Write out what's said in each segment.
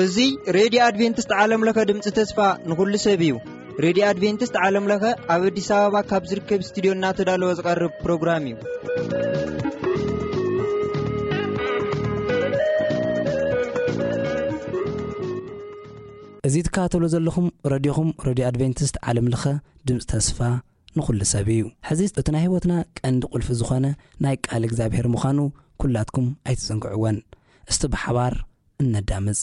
እዚ ሬድዮ ኣድቬንቲስት ዓለም ለኸ ድምፂ ተስፋ ንኹሉ ሰብ እዩ። ሬድዮ ኣድቬንቲስት ዓለም ለኸ ኣብ ኣዲስ ኣበባ ካብ ዝርከብ ስቱዲዮ እናተዳለወ ዝቐርብ ፕሮግራም እዩ። እዚ ትከታተሉ ዘለኹም ረድዮኹም፣ ረድዮ ኣድቬንቲስት ዓለም ለኸ ድምፂ ተስፋ ንኹሉ ሰብ እዩ። ሕዚ እቲ ናይ ህይወትና ቀንዲ ቁልፊ ዝኾነ ናይ ቃል እግዚኣብሔር ምዃኑ ኩላትኩም ኣይትዘንግዕወን። እስቲ ብሓባር እነዳምፅ።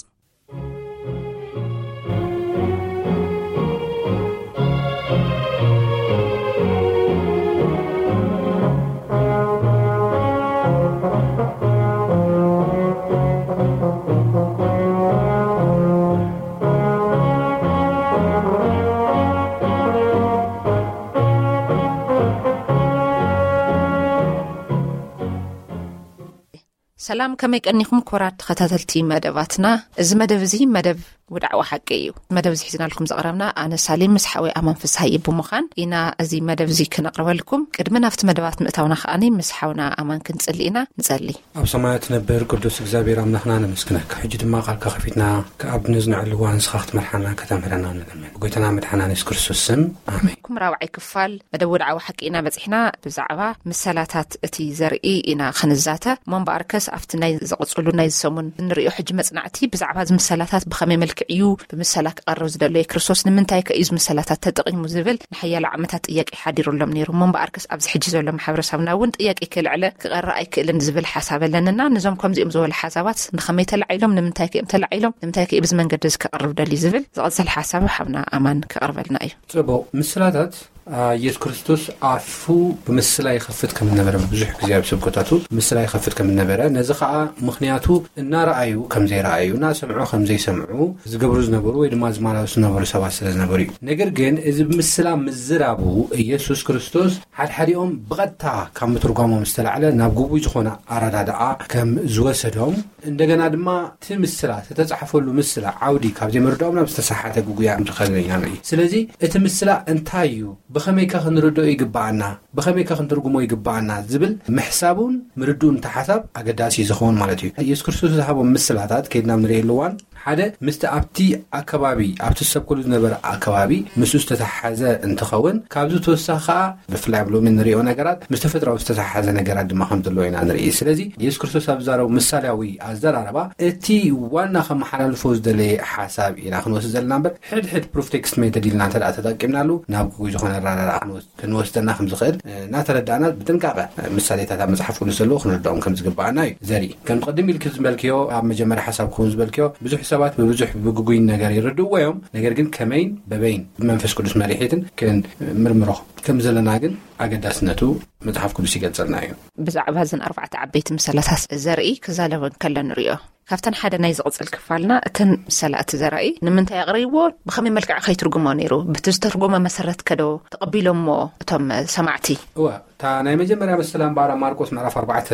ሰላም፣ ከመይ ቀኒኹም ክቡራት ተኸታተልቲ መደባትና? እዚ መደብ እዚ መደብ ውድዓዊ ሓቂ እዩ። መደብ እዚ ሒዝናልኩም ዘቕረብና ኣነ ሳሌም ምስ ሓወይ ኣማን ፍስሃየ ብምዃን ኢና እዚ መደብ እዚ ክነቕርበልኩም። ቅድሚ ናብቲ መደባት ምእታውና ከኣኒ ምስ ሓውና ኣማን ክንጽሊ ኢና። ንጸሊ። ኣብ ሰማያት ትነብር ቅዱስ እግዚኣብሔር ኣምላኽና ነመስግነካ። ሕጂ ድማ ቃልካ ከፊትና ክኣብ ነዝንዐሉ እዋን ንስኻ ክትመርሓና ከተምህረና ንለምን። ብጎይታና መድሓና የሱስ ክርስቶስ ስም፣ ኣሜን። ኩም ራብዓይ ክፋል መደብ ወድዓዊ ሓቂ ኢና በጺሕና። ብዛዕባ ምሰላታት እቲ ዘርኢ ኢና ክንዛተ። እሞ እምበኣርከስ ኣብቲ ናይ ዝቕጽሉ ናይ ዝሰሙን እንርእዮ ሕጂ መጽናዕቲ ብዛዕባ እዚ ምሰላታት ብኸመይ መልክዕ እዩ ብምሰላ ክቐርብ ዝደለየ ክርስቶስ ንምንታይ ከ እዩ እዚ ምሰላታት ተጠቒሙ ዝብል ንሓያሎ ዓመታት ጥያቄ ሓዲሩሎም ነይሩ። እሞ እምበኣርከስ ኣብዚ ሕጂ ዘሎ ማሕበረሰብና እውን ጥያቄ ክልዕለ ክቐረ ኣይክእልን ዝብል ሓሳብ ኣለንና። ነዞም ከምዚኦም ዝበሉ ሓሳባት ንኸመይ ተላዒሎም፣ ንምንታይ ከ እዮም ተላዒሎም፣ ንምንታይ ከ እዩ ብዚ መንገዲ እዚ ክቐርብ ደልዩ ዝብል ዝቐጽል ሓሳብ ሓብና ኣማን ክቐርበልና እዩ። ጽቡቕ። ምስላታት፣ አ፣ ኢየሱስ ክርስቶስ ኣፉ ብምስላ ይኸፍት ከም ዝነበረ ብዙሕ ግዜ ኣብ ስብከታቱ ምስላ ይኸፍት ከም ዝነበረ፣ ነዚ ኸኣ ምኽንያቱ እናረኣዩ ከም ዘይረኣዩ፣ እናሰምዑ ከም ዘይሰምዑ ዝገብሩ ዝነበሩ ወይ ድማ ዝመላለሱ ዝነበሩ ሰባት ስለ ዝነበሩ እዩ። ነገር ግን እዚ ብምስላ ምዝራቡ ኢየሱስ ክርስቶስ ሓድሓዲኦም ብቐጥታ ካብ ምትርጓሞም ዝተላዕለ ናብ ግጉይ ዝኾነ ኣረዳድኣ ከም ዝወሰዶም፣ እንደገና ድማ እቲ ምስላ ዝተጻሕፈሉ ምስላ ዓውዲ ካብ ዘይምርዳኦም ናብ ዝተሰሓተ ግጉያ ከም ዝኸደ ኢና ንርኢ። ስለዚ እቲ ምስላ እንታይ እዩ? ብኸመይከ ክንርድኦ ይግብኣና? ብኸመይከ ክንትርጉሞ ይግብኣና? ዝብል ምሕሳቡን ምርድኡን እቲ ሓሳብ ኣገዳሲ እዩ ዝኸውን ማለት እዩ። ኢየሱስ ክርስቶስ ዝሃቦም ምስላታት ከይድና ኣብ ንርእየሉ እዋን ሓደ ምስቲ ኣብቲ ኣከባቢ፣ ኣብቲ ዝሰብከሉ ዝነበረ ኣከባቢ ምስኡ ዝተተሓሓዘ እንትኸውን፣ ካብዚ ተወሳኺ ከኣ ብፍላይ ኣብ ሎሚ እንርእዮ ነገራት ምስ ተፈጥሮኣዊ ዝተተሓሓዘ ነገራት ድማ ከም ዘለዎ ኢና ንርኢ። ስለዚ ኢየሱስ ክርስቶስ ኣብ ዝዛረቡ ምሳሌያዊ ኣዘራርባ እቲ ዋና ከመሓላልፎ ዝደለየ ሓሳብ ኢና ክንወስድ ዘለና እምበር ሕድሕድ ፕሩፍ ቴክስት ሜተድ ኢልና እንተ ደኣ ተጠቂምናሉ ናብ ግጉይ ዝኾነ ኣረዳድኣ ክንወስድ ክንወስደና ከም ዝኽእል፣ እ፣ እናተረዳእና ብጥንቃቐ፣ እ፣ ምሳሌታት ኣብ መጽሓፍ ቅዱስ ዘለዉ ክንርድኦም ከም ዝግብኣና እዩ ዘርኢ። ከም ቅድም ኢልኪ ዝበልክዮ፣ ኣብ መጀመርያ ሓሳብ ክውን ዝበልክዮ፣ ብዙሕ ሰባት ብብዙሕ ብግጉይ ነገር ይርድእዎ እዮም። ነገር ግን ከመይን በበይን ብመንፈስ ቅዱስ መሪሒትን ክንምርምሮ ከም ዘለና ግን ኣገዳስነቱ መጽሓፍ ቅዱስ ይገልጸልና እዩ። ብዛዕባ እዘን ኣርባዕተ ዓበይቲ ምሳሌታት ዘርኢ ክዛለወን ከሎ ንርእዮ። ካብተን ሓደ ናይ ዝቕጽል ክፋልና፣ እተን ምሳሌ እቲ ዘራኢ ንምንታይ ኣቕሪብዎ፣ ብኸመይ መልክዕ ከይትርጉሞ ነይሩ፣ ብቲ ዝተርጎመ መሰረት ከዶ ተቐቢሎሞ እቶም ሰማዕቲ? እወ፣ እታ ናይ መጀመርያ ምስላ እምበኣር ኣብ ማርቆስ ምዕራፍ ኣርባዕተ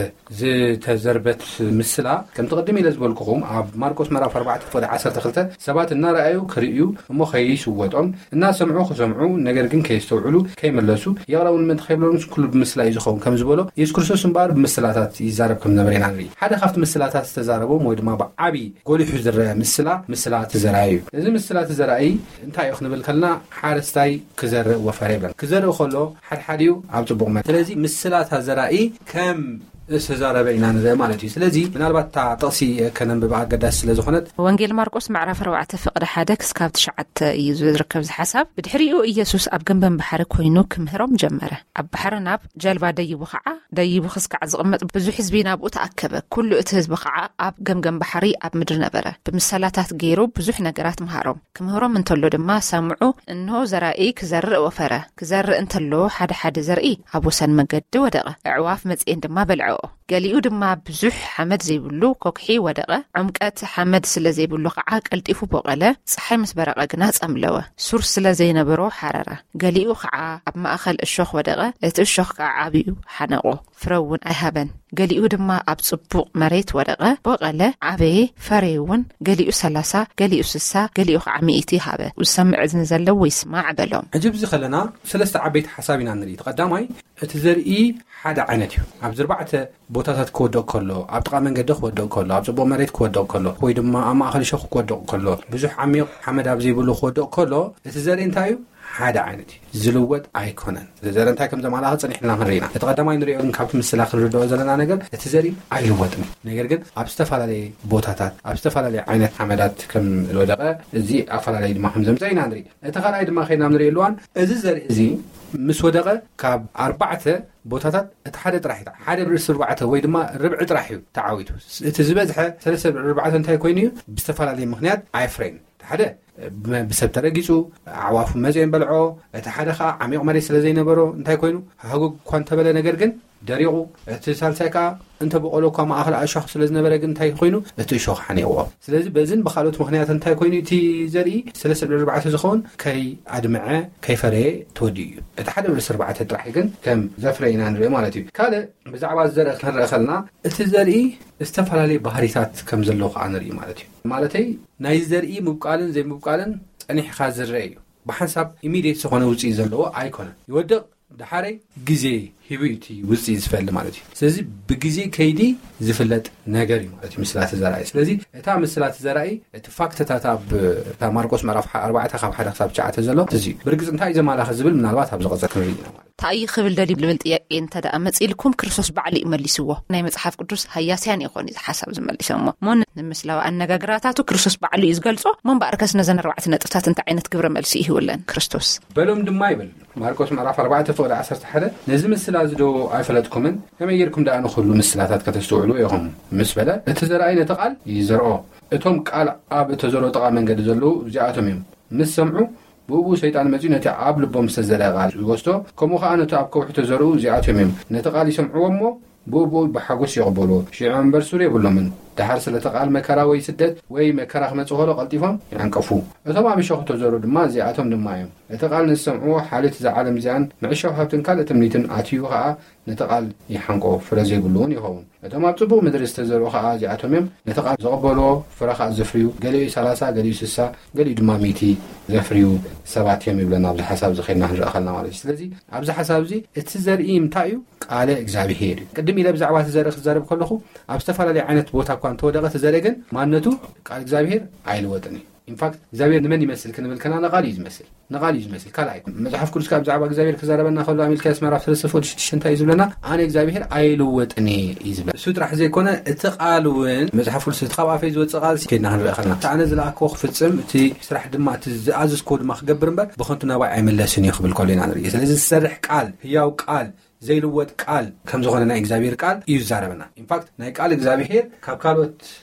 ዝተዘርበት ምስላ፣ ከምቲ ቅድም ኢለ ዝበልኩኹም፣ ኣብ ማርቆስ ምዕራፍ ኣርባዕተ ፍቕዲ ዓሰርተ ክልተ ሰባት እናረኣዩ ክርእዩ እሞ ከይስወጦም፣ እናሰምዑ ክሰምዑ፣ ነገር ግን ከየስተውዕሉ ከይመለሱ፣ ይቕረቡኒ ምእንቲ ከይብሎም ኩሉ ብምስላ እዩ ዝኸውን ከም ዝበሎ፣ ኢየሱስ ክርስቶስ እምበኣር ብምስላታት ይዛረብ ከም ዝነበረ ኢና ንርኢ። ሓደ ካብቲ ምስላታት ዝተዛረቦም ወይ ድማ ብዓቢ ጎሊሑ ዝረአ ምስላ፣ ምስላ እቲ ዘራኢ እዩ። እዚ ምስላ እቲ ዘራኢ እንታይ እዩ ክንብል ከለና፣ ሓረስታይ ክዘርእ ወፈረ ይብለና። ክዘርእ ከሎ ሓድሓዲኡ ኣብ ጽቡቕ መ-፣ ስለዚ ምስላ እታ ዘራኢ ከም ዝተዛረበ ኢና ንርኢ ማለት እዩ። ስለዚ ምናልባት እታ ጥቕሲ ከነንብባ ኣገዳሲ ስለ ዝኾነት። ወንጌል ማርቆስ ምዕራፍ ኣርባዕተ ፍቕዲ ሓደ ክስካብ ትሽዓተ እዩ ዝርከብ እዚ ሓሳብ። ብድሕሪኡ ኢየሱስ ኣብ ገምገም ባሕሪ ኮይኑ ክምህሮም ጀመረ። ኣብ ባሕሪ ናብ ጀልባ ደይቡ ኸዓ፣ ደይቡ ክስካዕ ዝቕመጥ ብዙሕ ህዝቢ ናብኡ ተኣከበ። ኩሉ እቲ ህዝቢ ኸዓ ኣብ ገምገም ባሕሪ ኣብ ምድሪ ነበረ። ብምሳላታት ገይሩ ብዙሕ ነገራት መሃሮም። ክምህሮም እንተሎ ድማ ሰምዑ፣ እንሆ ዘራኢ ክዘርእ ወፈረ። ክዘርእ እንተሎ ሓደ ሓደ ዘርኢ ኣብ ወሰን መገዲ ወደቐ። ኣዕዋፍ መጺኤን ድማ በልዐኦ። ገሊኡ ድማ ብዙሕ ሓመድ ዘይብሉ ኮክሒ ወደቐ። ዕምቀት ሓመድ ስለ ዘይብሉ ኸዓ ቀልጢፉ ቦቐለ። ጸሓይ ምስ በረቐ ግና ጸምለወ። ሱር ስለ ዘይነበሮ ሓረረ። ገሊኡ ኸዓ ኣብ ማእከል እሾኽ ወደቐ። እቲ እሾኽ ከኣ ዓብዩ ሓነቖ። ፍረ እውን ኣይሃበን። ገሊኡ ድማ ኣብ ጽቡቕ መሬት ወደቐ፣ በቐለ፣ ዓበየ፣ ፈረየ እውን፣ ገሊኡ ሰላሳ፣ ገሊኡ ስሳ፣ ገሊኡ ኸዓ ሚእቲ ሃበ። ዝሰምዕ እዝኒ ዘለዎ ይስማዕ በሎም። ሕጂ ኣብዚ ከለና ሰለስተ ዓበይቲ ሓሳብ ኢና ንርኢ። እቲ ቀዳማይ፣ እቲ ዘርኢ ሓደ ዓይነት እዩ። ኣብ ዝርባዕተ ቦታታት ክወድቕ ከሎ፣ ኣብ ጥቓ መንገዲ ክወድቕ ከሎ፣ ኣብ ጽቡቕ መሬት ክወድቕ ከሎ፣ ወይ ድማ ኣብ ማእኸል እሾኽ ክወድቕ ከሎ፣ ብዙሕ ዓሚቕ ሓመድ ኣብ ዘይብሉ ክወድቕ ከሎ፣ እቲ ዘርኢ እንታይ እዩ? ሓደ ዓይነት እዩ። ዝልወጥ ኣይኮነን። እዚ ዘርኢ እንታይ ከም ዘማላኸ ጸኒሕና ክንርኢ ኢና። እቲ ቀዳማይ ንሪኦ ግን ካብቲ ምስላ ክንርድኦ ዘለና ነገር፣ እቲ ዘርኢ ኣይልወጥን እዩ። ነገር ግን ኣብ ዝተፈላለየ ቦታታት፣ ኣብ ዝተፈላለየ ዓይነት ሓመዳት ከም ዝወደቐ፣ እዚ ኣፈላለዩ ድማ ከም ዘምጸ ኢና ንርኢ። እቲ ካልኣይ ድማ ከይድና ንሪኦ ኣለዋን፣ እዚ ዘርኢ እዚ ምስ ወደቐ ካብ ኣርባዕተ ቦታታት እቲ ሓደ ጥራሕ እዩ። ሓደ ብርእሲ ኣርባዕተ ወይ ድማ ርብዒ ጥራሕ እዩ ተዓዊቱ። እቲ ዝበዝሐ ሰለስተ ብርብዒ ኣርባዕተ እንታይ ኮይኑ እዩ? ብዝተፈላለየ ምኽንያት ኣይፍረይን። እቲ ሓደ ብ-፣ ብሰብ ተረጊጹ፣ ኣዕዋፍ መጺኤን በልዖ። እቲ ሓደ ኸዓ ዓሚቕ መሬት ስለ ዘይነበሮ እንታይ ኮይኑ? ሃጉግ እኳ እንተበለ፣ ነገር ግን ደሪቑ። እቲ ሳልሳይ ከኣ እንተ በቆሎ እኳ ማእኸል ኣእሻኽ ስለ ዝነበረ ግን እንታይ ኮይኑ? እቲ እሾኽ ሓኒቕዎ። ስለዚ በዝን ብኻልኦት ምኽንያት እንታይ ኮይኑ? እቲ ዘርኢ ሰለስተ ብርብዒ ኣርባዕተ ዝኸውን ከይኣድምዐ፣ ከይፈረየ ተወዲኡ እዩ። እቲ ሓደ ብርእሲ ኣርባዕተ ጥራሕ ግን ከም ዘፍረ ኢና ንርኢ ማለት እዩ። ካልእ ብዛዕባ ዘርኢ ክንርኢ ከለና፣ እቲ ዘርኢ ዝተፈላለየ ባህሪታት ከም ዘለዎ ከኣ ንርኢ ማለት እዩ። ማለተይ ናይ ዘርኢ ምብቃልን ዘይምብቃልን ጸኒሕካ ዝረአ እዩ። ብሓንሳብ ኢሚድየት ዝኾነ ውጽኢት ዘለዎ ኣይኮነን። ይወድቕ፣ ደሓረይ ግዜ ሂቡ እዩ እቲ ውጽኢት ዝፈሊ ማለት እዩ። ስለዚ ብግዜ ከይዲ ዝፍለጥ ነገር እዩ ማለት እዩ ምስላ እቲ ዘራኢ። ስለዚ እታ ምስላ እቲ ዘራኢ፣ እቲ ፋክትታት ኣብ እታ ማርቆስ ምዕራፍ ሓ-፣ ኣርባዕተ ካብ ሓደ ክሳብ ትሽዓተ ዘሎ እዚ እዩ። ብርግጽ እንታይ እዩ ዘማላኸ ዝብል ምናልባት ኣብ ዝቐጸል ክንርኢ ኢና ማለት እዩ። እንታይ እዩ ክብል ደልዩ ዝብል ጥያቄ እንተ ደኣ መጺእልኩም፣ ክርስቶስ ባዕሉ እዩ መሊስዎ። ናይ መጽሓፍ ቅዱስ ሃያስያን ይኾኑ እዚ ሓሳብ ዝመሊሶሞ። እሞ ንምስላዊ ኣነጋግራታቱ ክርስቶስ ባዕሉ እዩ ዝገልጾ። እሞ እምበኣርከስ ነዘን ኣርባዕተ ነጥብታት እንታይ ዓይነት ግብረ መልሲ ይህብለን ክርስቶስ? በሎም ድማ ይብል። ማርቆስ ምዕራፍ ኣርባዕተ ፍቕዲ ዓሰርተ ሓደ፣ ነዚ ምስላ እዚ ዶ ኣይፈለጥኩምን? ከመይ ጌርኩም ደኣ ንኹሉ ምስላታት ከተስተውዕሉ ኢኹም? ምስ በለ፣ እቲ ዘርኣይ ነቲ ቃል ይዘርኦ። እቶም ቃል ኣብ እተዘርኦ ጥቓ መንገዲ ዘለዉ እዚኣቶም እዮም። ምስ ሰምዑ፣ ብእኡ ሰይጣን መጺኡ ነቲ ኣብ ልቦም ዝተዘርአ ቃል ይወስዶ። ከምኡ ኸኣ ነቲ ኣብ ከውሒ ተዘርኡ እዚኣቶም እዮም። ነቲ ቃል ይሰምዕዎ እሞ፣ ብኡ ብኡ ብሓጎስ ይቕበልዎ። ሽዑ እምበር ሱር የብሎምን። ደሓር ስለቲ ቃል መከራ ወይ ስደት ወይ መከራ ክመጽእ ከሎ ቀልጢፎም ይዓንቀፉ። እቶም ኣብ እሾኽ ተዘርኡ ድማ እዚኣቶም ድማ እዮም። እቲ ቃል ንዝሰምዕዎ ሓልዮት እዛ ዓለም እዚኣን ምዕሻው ሃብትን ካልእ ትምኒትን ኣትዩ ኸኣ ነቲ ቃል ይሓንቆ፣ ፍረ ዘይብሉ እውን ይኸውን። እቶም ኣብ ጽቡቕ ምድሪ ዝተዘርኡ ኸኣ እዚኣቶም እዮም። ነቲ ቃል ዝቕበልዎ ፍረ ኸኣ ዘፍርዩ፣ ገሊኡ ሰላሳ፣ ገሊኡ ስሳ፣ ገሊኡ ድማ ሚእቲ ዘፍርዩ ሰባት እዮም ይብለና። ኣብዚ ሓሳብ እዚ ኸይድና ክንርኢ ኸለና ማለት እዩ። ስለዚ ኣብዚ ሓሳብ እዚ እቲ ዘርኢ እንታይ እዩ? ቃለ እግዚኣብሄር እዩ። ቅድም ኢለ ብዛዕባ እቲ ዘርኢ ክዛረብ ከለኹ፣ ኣብ ዝተፈላለየ ዓይነት ቦታ እኳ እንተወደቐ እቲ ዘርኢ ግን ማንነቱ ቃል እግዚኣብሄር ኣይልወጥን እዩ። ኢንፋክት እግዚኣብሄር ንመን ይመስል ክንብል ከና ንቓል እዩ ዝመስል። ንቓል እዩ ዝመስል። ካልኣይ መጽሓፍ ቅዱስ ካብ ብዛዕባ እግዚኣብሄር ክዛረበና ከሎ ኣብ ሚልክያስ ምዕራፍ ሰለስተ ፍቕዲ ሽዱሽተ እንታይ እዩ ዝብለና? ኣነ እግዚኣብሄር ኣይልወጥን እየ እዩ ዝብለና። እሱ ጥራሕ ዘይኮነ እቲ ቃል እውን መጽሓፍ ቅዱስ እቲ ካብ ኣፈይ ዝወጽእ ቃል ከይድና ክንርኢ ከለና፣ እቲ ኣነ ዝለኣክዎ ክፍጽም፣ እቲ ስራሕ ድማ እቲ ዝኣዘዝክዎ ድማ ክገብር እምበር ብኸንቱ ናባይ ኣይምለስን እዩ ክብል ከሎ ኢና ንርኢ። ስለዚ ዝሰርሕ ቃል፣ ህያው ቃል፣ ዘይልወጥ ቃል ከም ዝኾነ ናይ እግዚኣብሄር ቃል እዩ ዝዛረበና። ኢንፋክት ናይ ቃል እግዚኣብሄር ካብ ካልኦት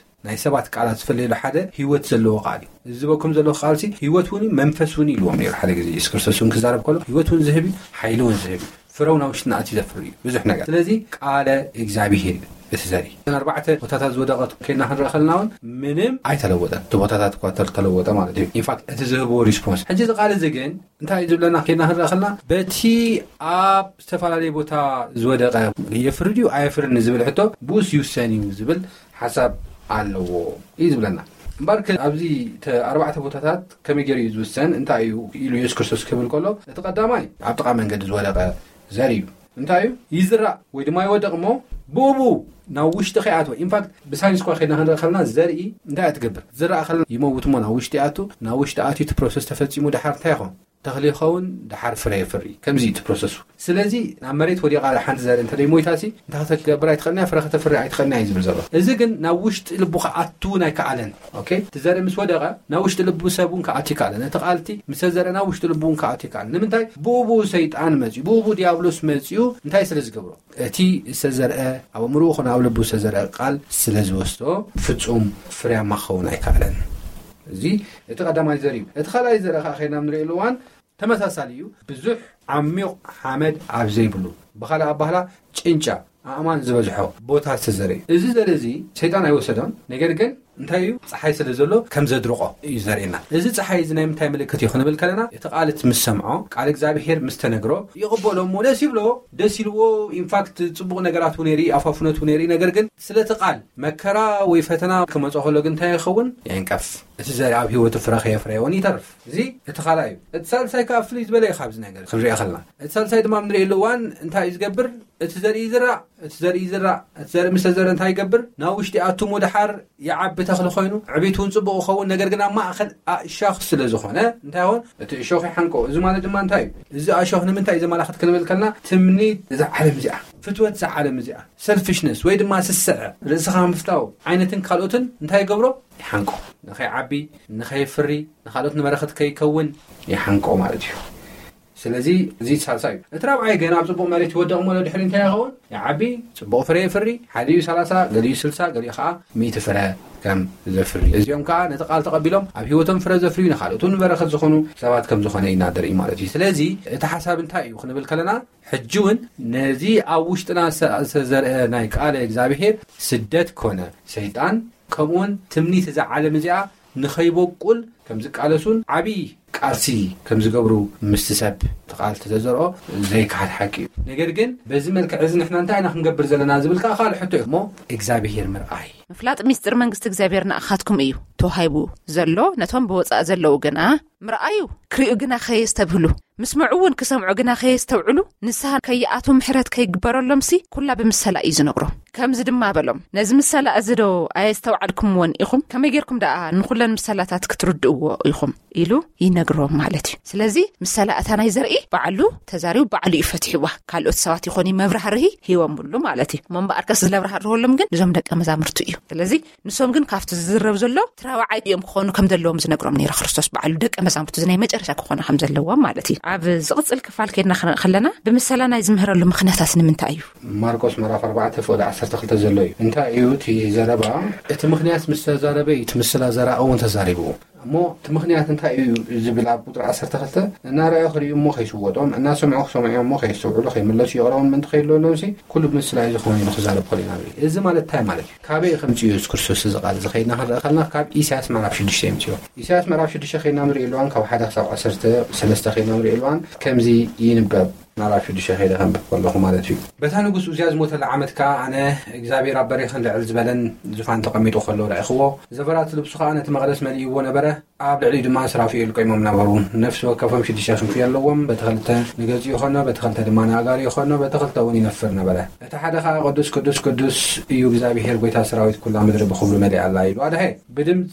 ናይ ሰባት ቃላት ዝፍለየሉ ሓደ ህይወት ዘለዎ ቃል እዩ። እዚ ዝበኩም ዘለኹ ቃልሲ ህይወት እውን እዩ፣ መንፈስ እውን እዩ ኢልዎም ነይሩ። ሓደ ግዜ የሱስ ክርስቶስ እውን ክዛረብ ከሎ ህይወት እውን ዝህብ እዩ፣ ሓይሊ እውን ዝህብ እዩ፣ ፍረ እውን ኣብ ውሽጥና ኣትዩ ዘፍሪ እዩ፣ ብዙሕ ነገር። ስለዚ ቃለ እግዚኣብሄር እዩ እቲ ዘርኢ። እተን ኣርባዕተ ቦታታት ዝወደቐት ከይና ክንረአ ከለና እውን ምንም ኣይተለወጠን። እቲ ቦታታት እኳ ተል-፣ ተለወጠ ማለት እዩ። ኢንፋክት እቲ ዝህብዎ ሪስፖንስ። ሕጂ እዚ ቃል እዚ ግን እንታይ እዩ ዝብለና ከይና ክንረአ ከለና፣ በቲ ኣብ ዝተፈላለየ ቦታ ዝወደቐ የፍሪ ድዩ ኣየፍርን ዝብል ሕቶ ብኡስ ይውሰን እዩ ዝብል ሓሳብ ኣለዎ እዩ ዝብለና። እምበኣር ከ ኣብዚ ተ-፣ ኣርባዕተ ቦታታት ከመይ ገይሩ እዩ ዝውሰን? እንታይ እዩ ኢሉ የሱስ ክርስቶስ ክብል ከሎ፣ እቲ ቀዳማይ ኣብ ጥቓ መንገዲ ዝወደቐ ዘር እዩ። እንታይ እዩ? ይዝራእ ወይ ድማ ይወድቕ እሞ ብኡ ብኡ ናብ ውሽጢ ከይኣትወ። ኢንፋክት ብሳይንስ እኳ ከይድና ክንርኢ ከለና ዘርኢ እንታይ እያ ትገብር? ዝረኣ ከለና ይመውት እሞ ናብ ውሽጢ ይኣቱ። ናብ ውሽጢ ኣትዩ እቲ ፕሮሰስ ተፈጺሙ ደሓር እንታይ ይኸውን? ተኽሊ ይኸውን፣ ደሓር ፍረ የፍሪ። ከምዚ እዩ እቲ ፕሮሰሱ። ስለዚ ናብ መሬት ወዲቓ ሓንቲ ዘርኢ እንተ ደይሞይታሲ እንታይ ከተገብር ኣይትኽእልን እያ? ፍረ ከተፍሪ ኣይትኽእልን እያ እዩ ዝብል ዘሎ። እዚ ግን ናብ ውሽጢ ልቡ ክኣቱ እውን ኣይከኣለን። ኦኬ? እቲ ዘርኢ ምስ ወደቐ ናብ ውሽጢ ልቡ ሰብ እውን ክኣቱ ይከኣለን። እቲ ቃል እቲ ምስ ተዘርአ ናብ ውሽጢ ልቡ እውን ክኣቱ ይከኣለን። ንምንታይ? ብኡ ብኡ ሰይጣን መጺኡ፣ ብኡ ብኡ ዲያብሎስ መጺኡ እንታይ ስለ ዝገብሮ? እቲ ዝተዘርአ ኣብ ኣእምሮኡ ኾነ ኣብ ልቡ ዝተዘርአ ቃል ስለ ዝወስዶ ፍጹም ፍርያማ ክኸውን ኣይከኣለን። እዚ እቲ ቀዳማይ ዘር እዩ። እቲ ካልኣይ ዘር ኸዓ ኸይድና ኣብ ንርእየሉ እዋን ተመሳሳሊ እዩ። ብዙሕ ዓሚቕ ሓመድ ኣብ ዘይብሉ፣ ብኻልእ ኣባህላ ጭንጫ ኣእማን ዝበዝሖ ቦታ ዝተዘርአ እዩ። እዚ ዘር እዚ ሰይጣን ኣይወሰዶን፣ ነገር ግን እንታይ እዩ? ፀሓይ ስለ ዘሎ ከም ዘድርቆ እዩ ዘርእየና። እዚ ፀሓይ እዚ ናይ ምንታይ ምልክት እዩ ክንብል ከለና፣ እቲ ቃል ምስ ሰምዖ፣ ቃል እግዚኣብሔር ምስ ተነግሮ ይቕበሎ እሞ ደስ ይብሎ። ደስ ኢልዎ፣ ኢንፋክት ፅቡቕ ነገራት እውን የርኢ፣ ኣፋፍነት እውን የርኢ። ነገር ግን ስለቲ ቃል መከራ ወይ ፈተና ክመፆ ከሎ ግን እንታይ ይኸውን? የንቀፍ። እቲ ዘርኢ ኣብ ህይወቱ ፍረ ከየፍረየውን ይተርፍ። እዚ እቲ ካልኣይ እዩ። እቲ ሳልሳይ ከዓ ፍልይ ዝበለ እዩ ካብዚ ነገር ክንሪኦ ከለና። እቲ ሳልሳይ ድማ ንሪእሉ እዋን እንታይ እዩ ዝገብር? እቲ ዘርኢ ይዝራእ፣ እቲ ዘርኢ ይዝራእ፣ እቲ ዘርኢ ምስ ተዘረ እንታይ ይገብር? ናብ ውሽጢ ኣቱሞ ደሓር ይዓቢ ተኽሊ ኮይኑ፣ ዕቤት እውን ጽቡቕ ይኸውን። ነገር ግን ኣብ ማእኸል ኣእሻኽ ስለ ዝኾነ እንታይ ይኸውን? እቲ እሾኽ ይሓንቆ። እዚ ማለት ድማ እንታይ እዩ? እዚ ኣሾኽ ንምንታይ እዩ ዘመላኽት ክንብል ከልና፣ ትምኒት እዛ ዓለም እዚኣ፣ ፍትወት እዛ ዓለም እዚኣ፣ ሰልፊሽነስ ወይ ድማ ስስዐ፣ ርእስኻ ምፍታው ዓይነትን ካልኦትን እንታይ ይገብሮ? ይሓንቆ። ንኸይዓቢ፣ ንኸይፍሪ፣ ንኻልኦት ንበረኸት ከይከውን ይሓንቆ ማለት እዩ። ስለዚ እዚ ሳልሳይ እዩ። እቲ ራብዓይ ገና ኣብ ጽቡቕ መሬት ይወደቕ እሞ ድሕሪ እንታይ ይኸውን? ይዓቢ፣ ጽቡቕ ፍረ የፍሪ፣ ሓዲኡ ሰላሳ፣ ገሊኡ ስልሳ፣ ገሊኡ ኸዓ ሚእቲ ፍረ ከም ዘፍሪ። እዚኦም ከኣ ነቲ ቃል ተቐቢሎም ኣብ ህይወቶም ፍረ ዘፍርዩ ንኻልኦት እውን በረኸት ዝኾኑ ሰባት ከም ዝኾነ ኢና ንርኢ ማለት እዩ። ስለዚ እቲ ሓሳብ እንታይ እዩ ክንብል ከለና፣ ሕጂ እውን ነዚ ኣብ ውሽጥና ዝተዘርአ ናይ ቃለ እግዚኣብሔር ስደት ኮነ ሰይጣን ከምኡውን ትምኒት እዛ ዓለም እዚኣ ንኸይበቁል ከም ዝቃለሱን ዓብዪ ቃልሲ ከም ዝገብሩ ምስቲ ሰብ እቲ ቃል ተዘዘርኦ ዘይከሓድ ሓቂ እዩ። ነገር ግን በዚ መልክዕ እዚ ንሕና እንታይ ኢና ክንገብር ዘለና ዝብል ከዓ ካልእ ሕቶ እዩ። እሞ እግዚኣብሔር ምርኣይ። ምፍላጥ ሚስጥር መንግስቲ እግዚኣብሔር ንኣኻትኩም እዩ ተዋሂቡ ዘሎ፣ ነቶም ብወፃእ ዘለዉ ግና ምርኣዩ ክርእዩ ግና ከየስተብህሉ፣ ምስምዑ እውን ክሰምዑ ግና ከየስተውዕሉ፣ ንስሓ ከይኣትዉ ምሕረት ከይግበረሎምሲ ኩላ ብምሰላ እዩ ዝነግሮም። ከምዚ ድማ በሎም፣ ነዚ ምሰላ እዚ ዶ ኣየስተውዓልኩምዎን ኢኹም? ከመይ ጌርኩም ደኣ ንኹለን ምሰላታት ክትርድእዎ ኢኹም? ኢሉ ይነግሮም ማለት እዩ። ስለዚ ምሰላ እታ ናይ ዘርኢ ባዕሉ ተዛሪቡ ባዕሉ እዩ ፈትሕዋ። ካልኦት ሰባት ይኾኑ መብራህርሂ ሂቦምሉ ማለት እዩ። እሞ እምበኣርከስ ዝለብራህርህሎም ግን እዞም ደቀ መዛሙርቱ እዩ። ስለዚ ንሶም ግን ካብቲ ዝዝረብ ዘሎ እቲ ራብዓይ እዮም ክኾኑ ከም ዘለዎም ዝነግሮም ነይሩ ክርስቶስ ባዕሉ፣ ደቀ መዛሙርቱ እዚ ናይ መጨረሻ ክኾኑ ከም ዘለዎም ማለት እዩ። ኣብ ዝቕጽል ክፋል ከይድና ክንርኢ ከለና ብምሰላ ናይ ዝምህረሉ ምኽንያታት ንምንታይ እዩ? ማርቆስ ምዕራፍ ኣርባዕተ ፍቕዲ ዓሰርተ ክልተ ዘሎ እዩ። እንታይ እዩ እቲ ዘረባ? እቲ ምኽንያት ምስ ተዛረበ እዩ እቲ ምስላ ዘራኢ እውን ተዛሪቡ። እሞ እቲ ምኽንያት እንታይ እዩ ዝብል ኣብ ቁጽሪ ዓሰርተ ክልተ፣ እናረኣዩ ክርእዩ እሞ ከይስወጦም፣ እናሰምዑ ክሰምዑ እሞ ከየስተውዕሉ፣ ከይምለሱ ይቕረቦም ምእንቲ ከይድለሎምሲ ኩሉ ብምስላ እዩ ዝኾነ ኢሉ ክዛረብ ከሎ ኢና ንርኢ። እዚ ማለት እንታይ ማለት እዩ? ካበይ ከምጽኡ ኢየሱስ ክርስቶስ እዚ ቃል እዚ ከይድና ክንርኢ ከለና ካብ ኢሳያስ ምዕራፍ ሽዱሽተ የምጽኦ። ኢሳያስ ምዕራፍ ሽዱሽተ ከይድና ንርኢ እዋን ካብ ሓደ ክሳብ ዓሰርተ ሰለስተ ከይድና ንርኢ እዋን ከምዚ ይንበብ። ምዕራፍ ሽዱሽተ ከይደ ከንብብ ከለኹ ማለት እዩ። በታ ንጉስ ኡዝያ ዝሞተላ ዓመት ከኣ ኣነ እግዚኣብሔር ኣብ በሪኽን ልዕል ዝበለን ዙፋን ተቐሚጡ ከሎ ረኣኹዎ። ዘፈራት ልብሱ ከኣ ነቲ መቕደስ መሊእዎ ነበረ። ኣብ ልዕሊኡ ድማ ስራፊኤል ቆይሞም ነበሩ። ነፍሲ ወከፎም ሽዱሽተ ክንፊ ኣለዎም። በቲ ክልተ ንገጹ ይኾኖ፣ በቲ ክልተ ድማ ንኣእጋሩ ይኾኖ፣ በቲ ክልተ እውን ይነፍር ነበረ። እቲ ሓደ ከኣ ቅዱስ ቅዱስ ቅዱስ እዩ እግዚኣብሔር ጐይታ ሰራዊት፣ ኩላ ምድሪ ብኽብሩ መሊኣ ኣላ ኢሉ ኣድሐ። ብድምጺ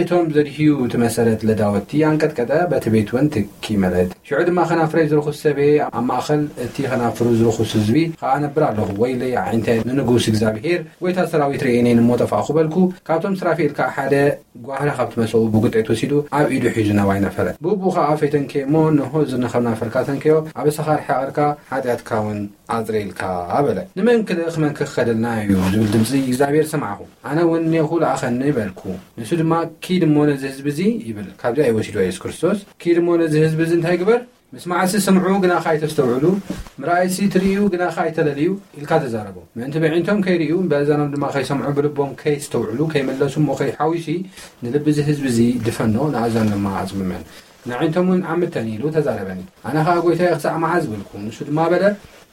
እቶም ዘድህዩ እቲ መሰረት ለዳወቲ ኣንቀጥቀጠ፣ በቲ ቤት እውን ትኪ መለት። ሽዑ ድማ ከናፍረይ ዝርኹስ ሰብየ ኣብ ማእኸል እቲ ከናፍሩ ዝርኹስ ህዝቢ ኸዓ ነብር ኣለኹ። ወይለይ ኣዒንተ ንንጉስ እግዚኣብሔር ጐይታ ሰራዊት ርእየኔን እሞ ጠፋእኹ በልኩ። ካብቶም ስራፊኤል ከኣ ሓደ ጓህራ ካብቲ መሰቡ ብጉጤት ወሲዱ ኣብ ኢዱ ሒዙ ናባይ ነፈረ። ብእኡ ኸዓ ፈይተንክየ እሞ፣ እንሆ፣ እዚ ንኸናፍርካ ተንክዮ፣ ኣበሳኻ ርሓቕርካ፣ ሓጢኣትካ እውን ኣጽሪልካ በለ። ንመን ክልእኽ መን ክኸደልና እዩ ዝብል ድምጺ እግዚኣብሔር ሰማዕኹ። ኣነ እውን እኔኹ ለኣኸኒ በልኩ። ንሱ ድማ ኪድ እሞ ነዚ ህዝቢ እዚ ይብል። ካብዚ ኣይወሲድዋ ኢየሱስ ክርስቶስ። ኪድ እሞ ነዚ ህዝቢ እዚ እንታይ ግበር? ምስማዕሲ ስምዑ ግናኸ ኣይተስተውዕሉ፣ ምርኣይሲ ትርእዩ ግናኸ ኣይተለልዩ ኢልካ ተዛረቦ። ምእንቲ በዒንቶም ከይርእዩ፣ በእዛኖም ድማ ከይሰምዑ፣ ብልቦም ከይስተውዕሉ፣ ከይመለሱ እሞ ከይሓዊሲ ንልቢ እዚ ህዝቢ እዚ ድፈኖ፣ ንኣእዛኑ ድማ ኣጽምመን። ንኣዒንቶም እውን ዓምተን ኢሉ ተዛረበኒ። ኣነ ኸኣ ጐይታየ ክሳዕ መዓዝ በልኩ። ንሱ ድማ በለ፣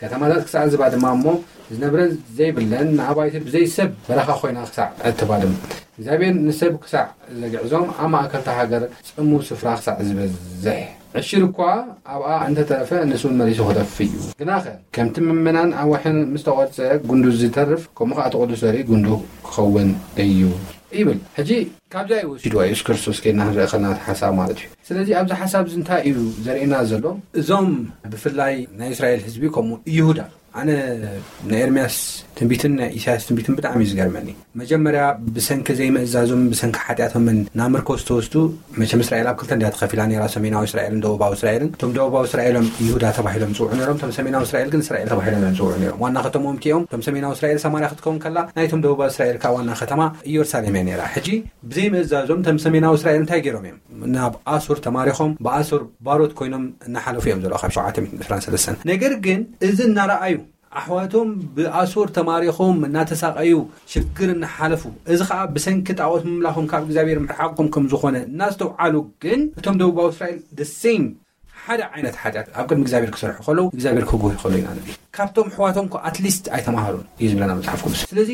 ከተማታት ክሳዕ ዝባድማ እሞ ዝነብረን ዘይብለን ንኣባይቲ ብዘይ ሰብ በረኻ ኮይና ክሳዕ እትባድም። እግዚኣብሔር ንሰብ ክሳዕ ዘግዕዞም ኣብ ማእከልታ ሃገር ጽምው ስፍራ ክሳዕ ዝበዝሕ። ዕሽር እኳ ኣብኣ እንተተረፈ ንሱ እውን መሊሱ ክጠፍእ እዩ። ግናኸ ከምቲ ምእመናን ኣብ ወሕኒ ምስ ተቖርጸ ጉንዱ ዝተርፍ ከምኡ ኸኣ እቲ ቅዱስ ዘርኢ ጉንዱ ክኸውን እዩ ይብል። ሕጂ ካብዚ እዩ ወሲድዋ ኢየሱስ ክርስቶስ ከይድና ክንርኢ ከለና እቲ ሓሳብ ማለት እዩ። ስለዚ ኣብዚ ሓሳብ እዚ እንታይ እዩ ዘርእየና ዘሎ? እዞም ብፍላይ ናይ እስራኤል ህዝቢ ከምኡ ይሁዳ፣ ኣነ ናይ ኤርምያስ ትንቢትን ናይ ኢሳያስ ትንቢትን ብጣዕሚ እዩ ዝገርመኒ። መጀመርያ ብሰንኪ ዘይምእዛዞም ብሰንኪ ሓጢኣቶምን ናብ ምርኮ ዝተወስዱ። መቸም እስራኤል ኣብ ክልተ እንድያ ተኸፊላ ነይራ፣ ሰሜናዊ እስራኤልን ደቡባዊ እስራኤልን። እቶም ደቡባዊ እስራኤል እዮም ይሁዳ ተባሂሎም ዝፅውዑ ነይሮም፣ እቶም ሰሜናዊ እስራኤል ግን እስራኤል ተባሂሎም እዮም ዝፅውዑ ነይሮም። ዋና ከተሞም እቲኦም፣ እቶም ሰሜናዊ እስራኤል ሰማርያ ክትከውን ከላ፣ ናይቶም ደቡባዊ እስራኤል ከዓ ዋና ከተማ ኢየሩሳሌም እያ ነይራ። ሕጂ ብዘይምእዛዞም እቶም ሰሜናዊ እስራኤል እንታይ ገይሮም እዮም? ናብ ኣሱር ተማሪኾም ብኣሱር ባሮት ኮይኖም እናሓለፉ እዮም ዘለዉ ካብ ሸውዓተ ሚእትን ዕስራን ሰለስተን። ነገር ግን እዚ እናረኣዩ ኣሕዋቶም ብኣሶር ተማሪኾም እናተሳቐዩ ሽግር እናሓለፉ፣ እዚ ኸዓ ብሰንኪ ጣዖት ምምላኾም ካብ እግዚኣብሔር ምርሓቆም ከም ዝኾነ እናስተውዓሉ፣ ግን እቶም ደቡባዊ እስራኤል the same ሓደ ዓይነት ሓጢኣት ኣብ ቅድሚ እግዚኣብሔር ክሰርሑ ከለዉ እግዚኣብሔር ክጉህ ከሎ ኢና ንርኢ። ካብቶም ኣሕዋቶም እኮ ኣትሊስት ኣይተማሃሩን እዩ ዝብለና መጽሓፍ ቅዱስ። ስለዚ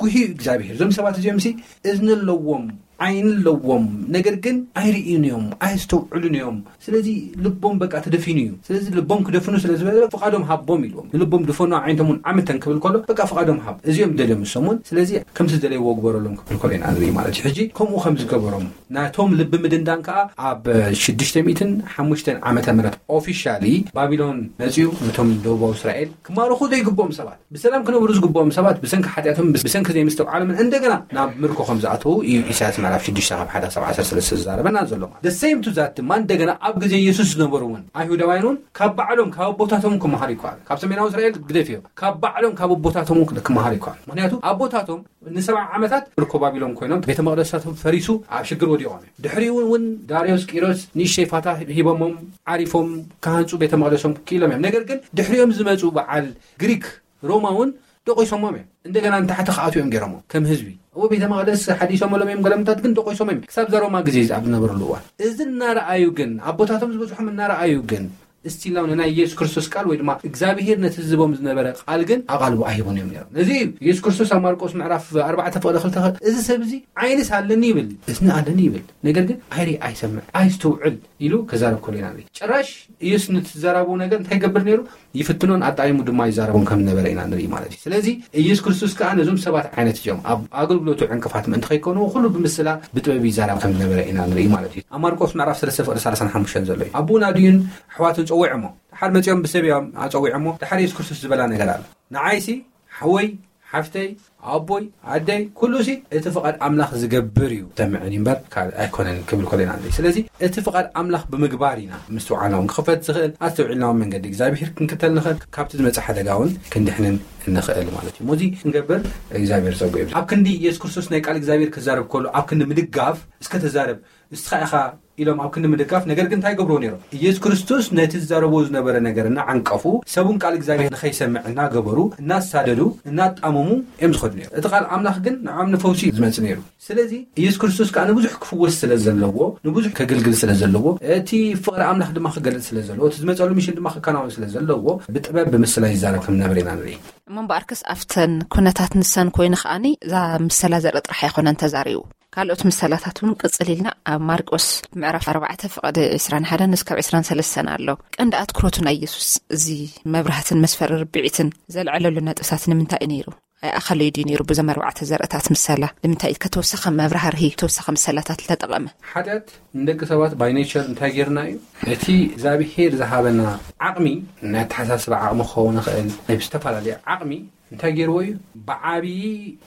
ጉህዩ እግዚኣብሔር እዞም ሰባት እዚኦም ሲ እዝኒ ኣለዎም፣ ዓይኒ ኣለዎም፣ ነገር ግን ኣይርእዩን እዮም፣ ኣየስተውዕሉን እዮም። ስለዚ ልቦም በቃ ተደፊኑ እዩ። ስለዚ ልቦም ክደፍኑ ስለ ዝበለ ፍቓዶም ሃቦም ኢልዎም። ንልቦም ድፈኑ፣ ኣዒንቶም እውን ዓምተን ክብል ከሎ በቃ ፍቓዶም ሃብ። እዚኦም ደልዮም እሶም እውን። ስለዚ ከምቲ ዝደለይዎ ግበረሎም ክብል ከሎ ኢና ንርኢ ማለት እዩ። ሕጂ ከምኡ ከም ዝገበሮም ናቶም ልቢ ምድንዳን ከኣ ኣብ ሽዱሽተ ሚእትን ሓሙሽተን ዓመተ ምህረት ኦፊሻሊ ባቢሎን መጺኡ ነቶም ደቡባዊ እስራኤል ክማርኹ ዘይግብኦም ሰባት፣ ብሰላም ክነብሩ ዝግብኦም ሰባት ብሰንኪ ሓጢኣቶም፣ ብሰንኪ ዘይምስትውዓሎም እንደገና ናብ ምርኮ ከም ዝኣተዉ እዩ ኢሳያስ ምዕራፍ ሽዱሽተ ካብ ሓደ ክሳብ ዓሰርተ ሰለስተ ዝዛረበና ዘሎ። ማለት the same to that ድማ እንደገና ኣብ ግዜ የሱስ ዝነበሩ እውን ኣይሁዳውያን እውን ካብ ባዕሎም ካብ ኣቦታቶም ክመሃሩ ይከኣሉ። ካብ ሰሜናዊ እስራኤል ግደፍዮ፣ ካብ ባዕሎም ካብ ኣቦታቶም እውን ክመሃሩ ይከኣሉ። ምክንያቱ ኣቦታቶም ንሰብዓ ዓመታት ምርኮ ባቢሎን ኮይኖም ቤተ መቕደሳቶም ፈሪሱ ኣብ ሽግር ወዲቖም እዮም። ድሕሪኡ እውን ዳርዮስ ቂሮስ ንእሽተይ ፋታ ሂቦሞም ዓሪፎም ክሃንጹ ቤተ መቕደሶም ክኢሎም እዮም። ነገር ግን ድሕሪኦም ዝመጹ በዓል ግሪክ ሮማ እውን ደቂሶሞም እዮም። እንደገና ንታሕቲ ክኣትዮም ገይሮሞም ከም ህዝቢ። እዎ ቤተ መቕደስ ሓዲሶምሎም እዮም፣ ገለምታት ግን ደቂሶም እዮም። ክሳብ እዛ ሮማ ግዜ ኣብ ዝነበረሉ እዋን እዚ እናረኣዩ ግን ኣቦታቶም ዝበጽሖም እናረኣዩ ግን እስቲላው ንናይ ኢየሱስ ክርስቶስ ቃል ወይ ድማ እግዚኣብሔር ነቲ ዝህቦም ዝነበረ ቃል ግን ኣቓልቦ ኣይህቡን እዮም ነይሮም። ነዚ እዩ ኢየሱስ ክርስቶስ ኣብ ማርቆስ ምዕራፍ ኣርባዕተ ፍቕዲ ክልተ እዚ ሰብ እዚ ዓይንስ ኣለኒ ይብል፣ እዝኒ ኣለኒ ይብል፣ ነገር ግን ኣይርኢ ኣይሰምዕ ኣይስተውዕል ኢሉ ከዛረብ ከሎ ኢና ንርኢ። ጭራሽ ኢየሱስ ንትዘራቡ ነገር እንታይ ይገብር ነይሩ? ይፍትኖን ኣጣይሙ ድማ ይዛረቦም ከም ዝነበረ ኢና ንርኢ ማለት እዩ። ስለዚ ኢየሱስ ክርስቶስ ከኣ ነዞም ሰባት ዓይነት እዚኦም ኣብ ኣገልግሎቱ ዕንቅፋት ምእንቲ ከይኮኑ ኩሉ ብምስላ ብጥበብ ይዛረብ ከም ዝነበረ ኢና ንርኢ ማለት እዩ። ኣብ ማርቆስ ምዕራፍ ሰለስተ ፍቕዲ ሰላሳን ሓሙሽተን ዘሎ እዩ። ኣቡን ኣድዩን ኣሕዋትን ጸዊዖሞ። ድሓር መጺኦም ብሰብ እዮም ኣጸዊዖሞ። ድሓር ኢየሱስ ክርስቶስ ዝበላ ነገር ኣሎ። ንዓይሲ ሓወይ ሓፍተይ ኣቦይ ኣደይ ኩሉ ሲ እቲ ፍቓድ ኣምላኽ ዝገብር እዩ ተምዕን እምበር ካልእ ኣይኮነን ክብል ከሎ ኢና ንርኢ። ስለዚ እቲ ፍቓድ ኣምላኽ ብምግባር ኢና ምስትውዓልና እውን ክኽፈት ዝኽእል ኣስተውዒልና እውን መንገዲ እግዚኣብሔር ክንክተል ንኽእል፣ ካብቲ ዝመጽእ ሓደጋ እውን ክንድሕንን ንኽእል ማለት እዩ። ሞዚ ክንገብር እግዚኣብሔር ጸጉ ይብዛ። ኣብ ክንዲ ኢየሱስ ክርስቶስ ናይ ቃል እግዚኣብሔር ክዛረብ ከሎ ኣብ ክንዲ ምድጋፍ እስከ ተዛረብ እስኻ ኢኻ ኢሎም ኣብ ክንዲ ምድጋፍ፣ ነገር ግን እንታይ ገብርዎ ነይሮም? ኢየሱስ ክርስቶስ ነቲ ዝዛረቦ ዝነበረ ነገር እናዓንቀፉ ሰቡን ቃል እግዚኣብሔር ንኸይሰምዕ እናገበሩ እናሳደዱ እናጣመሙ እዮም ዝኸዱ ነይሩ። እቲ ቃል ኣምላኽ ግን ንዖም ንፈውሲ እዩ ዝመጽእ ነይሩ። ስለዚ ኢየሱስ ክርስቶስ ከኣ ንብዙሕ ክፍወስ ስለ ዘለዎ ንብዙሕ ከገልግል ስለ ዘለዎ እቲ ፍቕሪ ኣምላኽ ድማ ክገልጽ ስለ ዘለዎ እቲ ዝመጸሉ ሚሽን ድማ ክከናወን ስለ ዘለዎ ብጥበብ ብምስላ ይዛረብ ከም ነበረ ኢና ንርኢ። እሞ እምበኣርከስ ኣብተን ኩነታት ንሰን ኮይኑ ከኣኒ እዛ ምሰላ ዘርኢ ጥራሕ ኣይኮነን ተዛሪቡ። ካልኦት ምሰላታት እውን ቅጽል ኢልና ኣብ ማርቆስ ምዕራፍ ኣርባዕተ ፍቕዲ ዕስራን ሓደን እስካብ ዕስራን ሰለስተን ኣሎ። ቀንዲ ኣትኩሮቱ ናይ ኢየሱስ እዚ መብራህትን መስፈሪ ርብዒትን ዘልዐለሉ ነጥብታት ንምንታይ እዩ ነይሩ? ኣይኣኸለዩ ድዩ ነይሩ? ብዞም ኣርባዕተ ዘርእታት ምሰላ ንምንታይ እዩ ከተወሰኸ መብራህርሂ ተወሰኸ ምሰላታት ዝተጠቐመ? ሓጢኣት ንደቂ ሰባት ባይ ኔቸር እንታይ ጌርና እዩ? እቲ እግዚኣብሄር ዝሃበና ዓቕሚ ናይ ኣተሓሳስባ ዓቕሚ ክኸውን ይኽእል ናይ ዝተፈላለየ ዓቕሚ እንታይ ገይርዎ እዩ? ብዓብዪ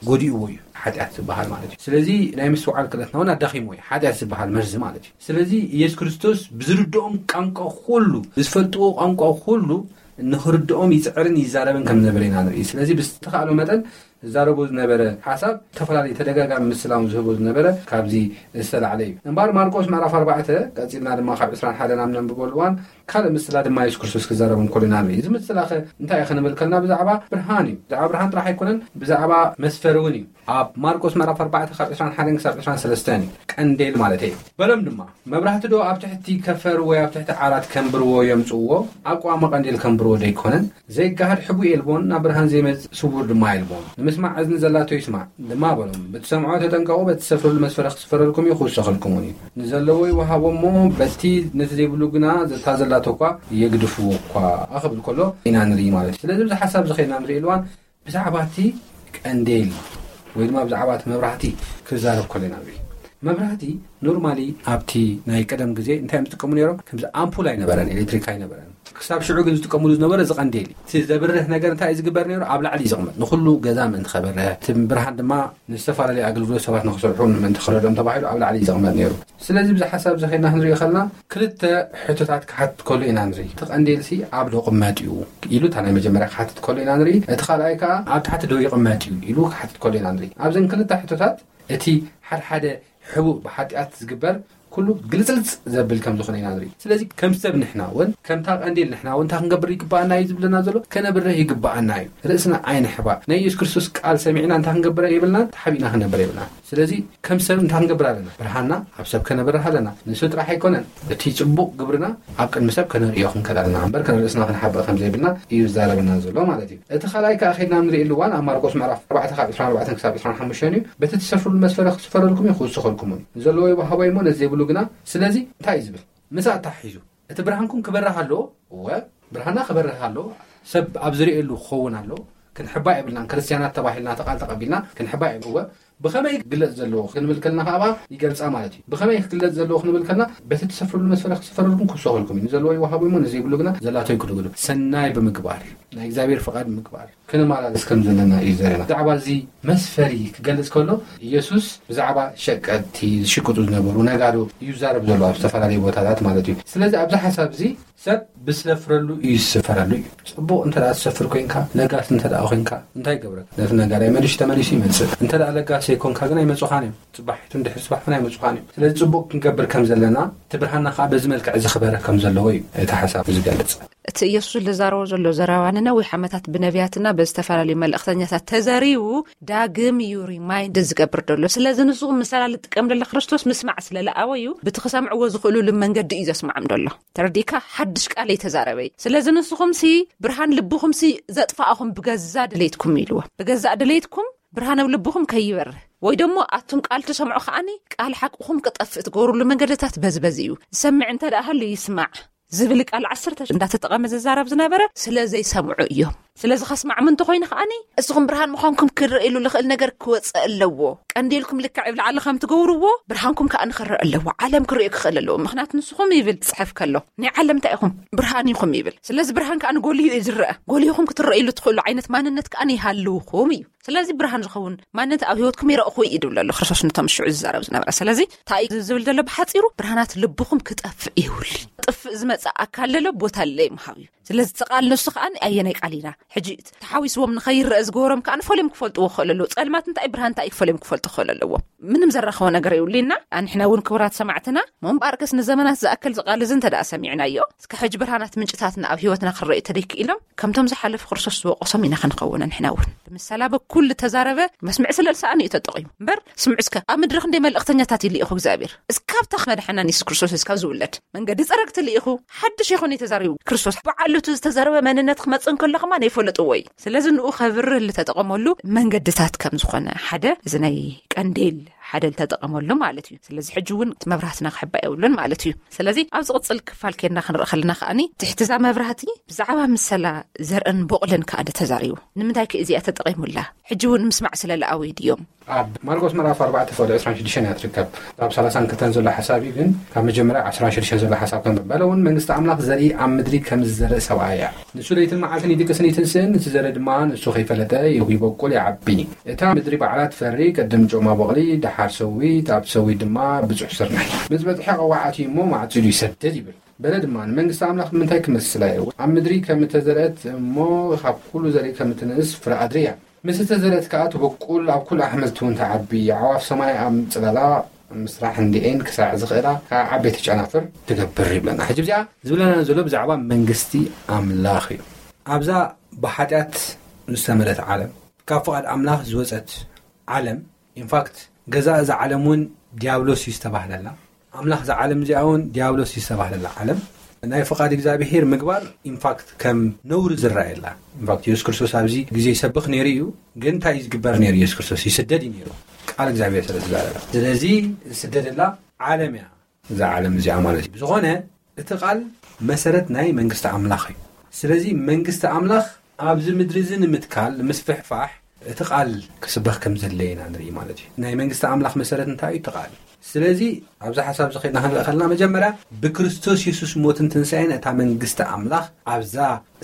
ጎዲእዎ እዩ ሓጢኣት ዝበሃል ማለት እዩ። ስለዚ ናይ ምስትውዓል ክእለትና እውን ኣዳኺምዎ እዩ ሓጢኣት ዝበሃል መርዚ ማለት እዩ። ስለዚ ኢየሱስ ክርስቶስ ብዝርድኦም ቋንቋ ኩሉ ብዝፈልጥዎ ቋንቋ ኩሉ ንኽርድኦም ይፅዕርን ይዛረብን ከም ዝነበረ ኢና ንርኢ። ስለዚ ብዝተኻእሎ መጠን ዝዛረቦ ዝነበረ ሓሳብ ዝተፈላለዩ ተደጋጋሚ ምስላውን ዝህቦ ዝነበረ ካብዚ ዝተላዕለ እዩ። እምበኣር ማርቆስ ምዕራፍ ኣርባዕተ ቀፂልና ድማ ካብ ዕስራን ሓደን ኣብ ነንብበሉ እዋን ካልእ ምስላ ድማ የሱስ ክርስቶስ ክዛረብ እንከሎ ኢና ንርኢ። እዚ ምስላ ኸ እንታይ እዩ ክንብል ከልና ብዛዕባ ብርሃን እዩ። ብዛዕባ ብርሃን ጥራሕ ኣይኮነን፣ ብዛዕባ መስፈሪ እውን እዩ። ኣብ ማርቆስ ምዕራፍ ኣርባዕተ ካብ ዕስራን ሓደን ክሳብ ዕስራን ሰለስተን እዩ። ቀንዴል ማለት እዩ። በሎም ድማ መብራህቲ ዶ ኣብ ትሕቲ ከፈር ወይ ኣብ ትሕቲ ዓራት ከንብርዎ የምጽእዎ? ኣብ ቀዋሚ ቀንዴል ከንብርዎ ዶ ኣይኮነን? ዘይጋሃድ ሕቡእ የልቦን፣ ናብ ብርሃን ዘይመጽእ ስውር ድማ የልቦን። ንምስማዕ እዝኒ ዘላቶ ይስማዕ ድማ በሎም። ብትሰምዖ ተጠንቀቑ፣ በቲ ትሰፍርሉ መስፈሪ ክስፈረልኩም እዩ፣ ክውሰኸልኩም እውን እዩ። ንዘለዎ ይወሃቦ እሞ፣ በቲ ነቲ ዘይብሉ ግና፣ ዘታ ዘላቶ እኳ የግድፍዎ እኳ ክብል ከሎ ኢና ንርኢ ማለት እዩ። ስለዚ፣ ኣብዚ ሓሳብ እዚ ኸይድና ንርኢ እዋን፣ ብዛዕባ እቲ ቀንዴል ወይ ድማ ብዛዕባ እቲ መብራህቲ ክዛረብ ከሎ ኢና ንርኢ። መብራህቲ ኖርማሊ ኣብቲ ናይ ቀደም ግዜ እንታይ እዮም ዝጥቀሙ ነይሮም? ከምዚ ኣምፑል ኣይነበረን፣ ኤሌክትሪክ ኣይነበረን። ክሳብ ሽዑ ግን ዝጥቀምሉ ዝነበረ እዚ ቀንዴል እዩ። እቲ ዘብርህ ነገር እንታይ እዩ ዝግበር ነይሩ? ኣብ ላዕሊ እዩ ዝቕመጥ፣ ንኹሉ ገዛ ምእንቲ ከበርህ፣ እቲ ብርሃን ድማ ንዝተፈላለዩ ኣገልግሎት ሰባት ንክሰርሑ ምእንቲ ክረድኦም ተባሂሉ ኣብ ላዕሊ እዩ ዝቕመጥ ነይሩ። ስለዚ ብዚ ሓሳብ እዚ ኸይድና ክንሪኦ ከለና ክልተ ሕቶታት ክሓትት ከሎ ኢና ንርኢ። እቲ ቀንዴልሲ ኣብ ዶ ቅመጥ እዩ ኢሉ እታ ናይ መጀመርያ ክሓትት ከሎ ኢና ንርኢ። እቲ ካልኣይ ከኣ ኣብ ታሕቲ ዶ ይቕመጥ እዩ ኢሉ ክሓትት ከሎ ኢና ንርኢ። ኣብዘን ክልተ ሕቶታት እቲ ሓድሓደ ሕቡእ ብሓጢኣት ዝግበር ኩሉ ግልጽልጽ ዘብል ከም ዝኾነ ኢና ንርኢ። ስለዚ ከም ሰብ ንሕና እውን፣ ከምታ ቀንዴል ንሕና እውን እንታይ ክንገብር ይግባኣና እዩ ዝብለና ዘሎ? ከነብርህ ይግባኣና እዩ። ርእስና ኣይንሕባእ። ናይ የሱስ ክርስቶስ ቃል ሰሚዕና እንታይ ክንገብር የብልናን፣ ተሓቢእና ክንነብር የብልናን። ስለዚ ከም ሰብ እንታይ ክንገብር ኣለና? ብርሃንና ኣብ ሰብ ከነብርህ ኣለና። ንሱ ጥራሕ ኣይኮነን፣ እቲ ጽቡቕ ግብርና ኣብ ቅድሚ ሰብ ከነርእዮ ክንክእል ኣለና እምበር፣ ከነርእስና ክንሓብእ ከም ዘይብልና እዩ ዝዛረበና ዘሎ ማለት እዩ። እቲ ካልኣይ ከኣ ኸይድና ንርእየሉ እዋን ኣብ ማርቆስ ምዕራፍ ኣርባዕተ ካብ ዕስራን ኣርባዕተን ክሳብ ዕስራን ሓሙሽተን እዩ። በቲ ትሰፍርሉ መስፈሪ ክስፈረልኩም እዩ፣ ክውሰኸልኩም እዩ። ንዘለዎ ይወሃቦ እሞ ነዘይብሉ ግና። ስለዚ እንታይ እዩ ዝብል? ምሳእ ኣተሓሒዙ እቲ ብርሃንኩም ክበርህ ኣለዎ። እወ፣ ብርሃንና ክበርህ ኣለዎ። ሰብ ኣብ ዝርእየሉ ክኸውን ኣለዎ። ክንሕባእ የብልናን። ክርስትያናት ተባሂልና፣ ተቓል ተቐቢልና ክንሕባእ የብልዎ። ብኸመይ ክግለጽ ዘለዎ ክንብል ከልና ከኣ ይገልጻ ማለት እዩ። ብኸመይ ክግለጽ ዘለዎ ክንብል ከልና፣ በቲ ትሰፍርሉ መስፈሪ ክስፈረልኩም ክውሰኸልኩም እዩ። ንዘለዎ ይወሃቦ እሞ ነዘይብሉ ግና ዘላቶ ይክልግሉ። ሰናይ ብምግባር፣ ናይ እግዚኣብሔር ፍቓድ ምግባር፣ ክንመላለስ ከም ዘለና እዩ ዘረና። ብዛዕባ እዚ መስፈሪ ክገልጽ ከሎ፣ ኢየሱስ ብዛዕባ ሸቀጥቲ፣ ዝሽቅጡ ዝነበሩ ነጋዶ እዩ ዛረብ ዘሎ ኣብ ዝተፈላለዩ ቦታታት ማለት እዩ። ስለዚ ኣብዚ ሓሳብ እዚ ሰብ ብዝሰፍረሉ እዩ ዝስፈረሉ እዩ። ጽቡቕ እንተ ደኣ ትሰፍር ኮይንካ፣ ለጋስ እንተ ደኣ ኮይንካ፣ እንታይ ይገብረካ? ነቲ ነጋዳይ መልሹ ተመሊሱ ይመጽእ። እንተ ደኣ ለጋስ ዘይኮንካ ግን ኣይመጹኻን እዮም። ጽባሒቱ እንድሕር ጽባሕ እውን ኣይመጹኻን እዮም። ስለዚ ጽቡቕ ክንገብር ከም ዘለና፣ እቲ ብርሃንና ከኣ በዚ መልክዕ እዚ ክበርህ ከም ዘለዎ እዩ እቲ ሓሳብ ዝገልጽ። እቲ ኢየሱስ ዝዛረቦ ዘሎ ዘረባ ንነዊሕ ዓመታት ብነቢያትና ብዝተፈላለዩ መልእኽተኛታት ተዘሪቡ ዳግም እዩ ሪማይንድ ዝገብር ዘሎ። ስለዚ ንስኹም ምሰላ ልጥቀም ደለ ክርስቶስ ምስማዕ ስለ ለኣወ እዩ። ብቲ ክሰምዕዎ ዝኽእሉሉ መንገዲ እዩ ዘስምዖም ደሎ። ተረዲእካ? ሓድሽ ቃል እየተዛረበ እዩ። ስለዚ ንስኹም ሲ ብርሃን ልብኹም ሲ ዘጥፋእኹም ብገዛ ድሌትኩም ኢልዎ። ብገዛእ ድሌትኩም ብርሃን ኣብ ልብኹም ከይበርህ ወይ ደሞ ኣቱም ቃል ትሰምዑ ከኣኒ ቃል ሓቅኹም ክጠፍእ ትገብሩሉ መንገድታት በዝበዝ እዩ። ዝሰምዕ እንተ ደኣ ሃሉ ይስማዕ ዝብል ቃል ዓሰርተ እንዳተጠቐመ ዝዛረብ ዝነበረ ስለ ዘይሰምዑ እዮም። ስለዚ ከስማዕም እንተኾይኑ ከኣኒ እስኹም ብርሃን ምዃንኩም ክረእየሉ ልኽእል ነገር ክወፅእ ኣለዎ። ቀንዴልኩም ልክዕ ኣብ ላዕሊ ከም ትገብርዎ ብርሃንኩም ከኣ ንኽረእ ኣለዎ። ዓለም ክርእዮ ክኽእል ኣለዎ። ምኽንያቱ ንስኹም ይብል ጽሕፍ ከሎ ናይ ዓለም እንታይ ኢኹም? ብርሃን ኢኹም ይብል። ስለዚ ብርሃን ከኣ ንጎልዩ እዩ ዝረአ። ጎልይኹም ክትረእሉ ትኽእሉ ዓይነት ማንነት ከኣ ይሃልውኹም እዩ። ስለዚ ብርሃን ዝኸውን ማንነት ኣብ ህይወትኩም ይረእኹ እዩ ድብል ኣሎ ክርስቶስ ነቶም ሽዑ ዝዛረብ ዝነበረ። ስለዚ እንታይ እዩ ዝብል ዘሎ ብሓጺሩ? ብርሃናት ልብኹም ክጠፍእ ይውል። ጥፍእ ዝመጽእ ኣካል ዘሎ ቦታ ለይ ምሃብ እዩ። ስለዚ እቲ ቃል ንሱ ከኣ ኣየናይ ቃል ኢና? ሕጂ ተሓዊስዎም ንኸይረአ ዝገበሮም ከኣ ፈልዮም ክፈልጥዎ ክኽእሉ ኣለዎ። ጸልማት እንታይ ብርሃን እንታይ እዩ ፈልዮም ክፈልጡ ክኽእሉ ኣለዎም። ምንም ዘራኸቦ ነገር የብሉና። ኣንሕና እውን ክቡራት ሰማዕትና፣ እሞ እምበኣርከስ ንዘመናት ዝኣክል ዝቃል እዚ እንተ ደኣ ሰሚዕናዮ፣ እስከ ሕጂ ብርሃናት ምንጭታትና ኣብ ህይወትና ክረኣዩ ተደይክኢሎም፣ ከምቶም ዝሓለፉ ክርስቶስ ዝወቀሶም ኢና ክንኸውን። ኣንሕና እውን ብምሳላ በኩል ዝተዛረበ መስምዕ ስለ ዝሰኣኑ እዩ ተጠቒሙ። እምበር ስምዑ እስከ፣ ኣብ ምድሪ ክንደይ መልእኽተኛታት እዩ ልኢኹ እግዚኣብሔር። እስካብታ መድሓና ንየሱስ ክርስቶስ እስካብ ዝውለድ መንገዲ ጸረግቲ ልኢኹ፣ ሓድሽ ይኹን እዩ ተዛሪቡ ክርስቶስ። በዓሉ እቲ ዝተዘረበ መንነት ክመጽእ እንከሎ ከማን ይፈለጥዎ እዩ። ስለዚ ንኡ ከብርህ ዝተጠቐመሉ መንገድታት ከም ዝኾነ ሓደ እዚ ናይ ቀንዴል ሓደ ዝተጠቐመሉ ማለት እዩ። ስለዚ ሕጂ እውን እቲ መብራህትና ክሕባእ የብሉን ማለት እዩ። ስለዚ ኣብ ዝቕጽል ክፋል ኬድና ክንርኢ ከለና ከኣኒ ትሕቲ እዛ መብራህቲ ብዛዕባ ምሰላ ዘርእን ቦቕልን ከኣ ተዛሪቡ። ንምንታይ ከ እዚኣ ተጠቒሙላ? ሕጂ እውን ምስማዕ ስለ ለኣዊ ድዮም? ኣብ ማርቆስ ምዕራፍ ኣርባዕተ ፍቕዲ ዕስራን ሽዱሽተን እያ ትርከብ። ኣብ ሰላሳን ክልተን ዘሎ ሓሳብ እዩ፣ ግን ካብ መጀመርያ ዕስራን ሽዱሽተን ዘሎ ሓሳብ ከም በለ እውን መንግስቲ ኣምላኽ ዘርኢ ኣብ ምድሪ ከም ዝዘርእ ሰብኣይ እያ። ንሱ ለይትን መዓልትን ይድቅስን ይትንስእን፣ እቲ ዘርኢ ድማ ንሱ ከይፈለጠ ይበቁል ይዓቢ። እታ ምድሪ ባዕላ ትፈሪ፣ ቅድም ጮማ ቦቕሊ፣ ደሓር ሰዊት፣ ኣብ ሰዊት ድማ ብዙሕ ስርናይ። ምስ በጽሐ ቀዋዓት እዩ እሞ ማዕጺዱ ይሰድድ ይብል። በለ ድማ ንመንግስቲ ኣምላኽ ብምንታይ ክመስላ እየ? ኣብ ምድሪ ከም እተዘርአት እሞ ካብ ኩሉ ዘርኢ ከም እትንእስ ፍረ ኣድሪ እያ። ምስ እተዘርአት ከኣ ትበቁል፣ ኣብ ኩሉ ኣሕምልቲ እውን ትዓቢ፣ ኣዕዋፍ ሰማይ ኣብ ጽላላ ምስራሕ እንዲኤን ክሳዕ ዝኽእላ ካብ ዓበይቲ ጨናፍር ትገብር ይብለና። ሕጂ እዚኣ ዝብለና ዘሎ ብዛዕባ መንግስቲ ኣምላኽ እዩ። ኣብዛ ብሓጢኣት ዝተመልአት ዓለም፣ ካብ ፍቓድ ኣምላኽ ዝወጸት ዓለም፣ ኢንፋክት ገዛ እዛ ዓለም እውን ዲያብሎስ እዩ ዝተባህለላ። ኣምላኽ እዛ ዓለም እዚኣ እውን ዲያብሎስ እዩ ዝተባህለላ ዓለም። ናይ ፍቓድ እግዚኣብሄር ምግባር ኢንፋክት ከም ነውሪ ዝረኣየላ። ኢንፋክት የሱስ ክርስቶስ ኣብዚ ግዜ ይሰብኽ ነይሩ እዩ። ግን እንታይ እዩ ዝግበር ነይሩ? የሱስ ክርስቶስ ይስደድ እዩ ነይሩ፣ ቃል እግዚኣብሔር ስለ ዝዛረበ። ስለዚ ዝስደደላ ዓለም እያ እዛ ዓለም እዚኣ ማለት እዩ። ብዝኾነ እቲ ቃል መሰረት ናይ መንግስቲ ኣምላኽ እዩ። ስለዚ መንግስቲ ኣምላኽ ኣብዚ ምድሪ እዚ ንምትካል፣ ንምስፍሕፋሕ እቲ ቃል ክስበኽ ከም ዘድለየ ኢና ንርኢ ማለት እዩ። ናይ መንግስቲ ኣምላኽ መሰረት እንታይ እዩ? እቲ ቃል። ስለዚ ኣብዚ ሓሳብ እዚ ኸድና ክንርኢ ከለና መጀመርያ ብክርስቶስ የሱስ ሞትን ትንሳኤን እታ መንግስቲ ኣምላኽ ኣብዛ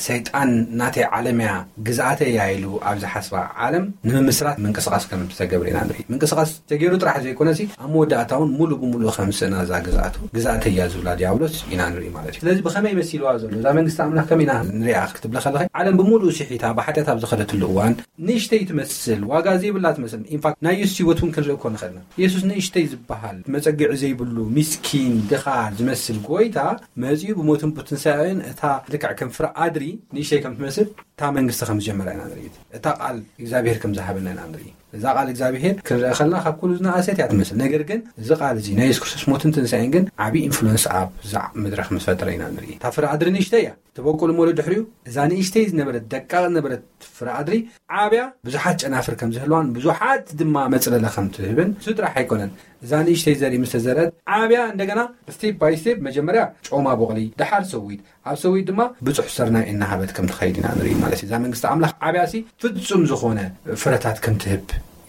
ሰይጣን ናተይ ዓለም እያ፣ ግዝኣተይ እያ ኢሉ ኣብ ዝሓስባ ዓለም ንምምስራት ምንቅስቓስ ከም ዝተገብረ ኢና ንርኢ። ምንቅስቓስ ተገይሩ ጥራሕ ዘይኮነሲ ኣብ መወዳእታ እውን ሙሉእ ብሙሉእ ከም ስእና እዛ ግዝኣቱ፣ ግዝኣተይ እያ ዝብላ ዲያብሎስ ኢና ንርኢ ማለት እዩ። ስለዚ ብኸመይ መሲልዋ ዘሎ እዛ መንግስቲ ኣምላኽ ከመይ ኢና ንሪኣ ክትብለ ከለኸ ዓለም ብሙሉእ ስሒታ ብሓጢኣት ኣብ ዝኸደትሉ እዋን ንእሽተይ ትመስል፣ ዋጋ ዘይብላ ትመስል። ኢንፋክት ናይ የሱስ ህይወት እውን ክንርኢ እኮ ንኽእል ኢና። የሱስ ንእሽተይ ዝበሃል መጸግዒ ዘይብሉ፣ ሚስኪን፣ ድኻ ዝመስል ጎይታ መጺኡ ብሞትን ብትንሳኤን እታ ልክዕ ከም ፍረ ኣድሪ ንእሽተይ ከም ትመስል እታ መንግስቲ ከም ዝጀመራ ኢና ንርኢ። እታ ቃል እግዚኣብሔር ከም ዝሃበና ኢና ንርኢ። እዛ ቃል እግዚኣብሔር ክንርኢ ከለና ካብ ኩሉ ዝነኣሰት እያ ትመስል። ነገር ግን እዚ ቃል እዚ ናይ የሱስ ክርስቶስ ሞትን ትንሳኤን ግን ዓቢ ኢንፍሉወንስ ኣብ እዛ ምድሪ ከም ዝፈጠረ ኢና ንርኢ። እታ ፍረ ኣድሪ ንእሽተይ እያ። ትበቁል እሞ ድሕሪኡ እዛ ንእሽተይ ዝነበረት፣ ደቃቕ ዝነበረት ፍረ ኣድሪ ዓብያ ብዙሓት ጨናፍር ከም ዝህልዋን ብዙሓት ድማ መጽለለ ከም ትህብን እሱ ጥራሕ ኣይኮነን። እዛ ንእሽተይ ዘርኢ ምስ ተዘርአት ዓብያ እንደገና ስቴፕ ባይ ስቴፕ መጀመርያ ጮማ ቦቕሊ፣ ደሓር ሰዊት፣ ኣብ ሰዊት ድማ ብጹሕ ስርናይ እናሃበት ከም ትኸይድ ኢና ንርኢ ማለት እዩ። እዛ መንግስቲ ኣምላኽ ዓብያ ሲ ፍጹም ዝኾነ ፍረታት ከም ትህብ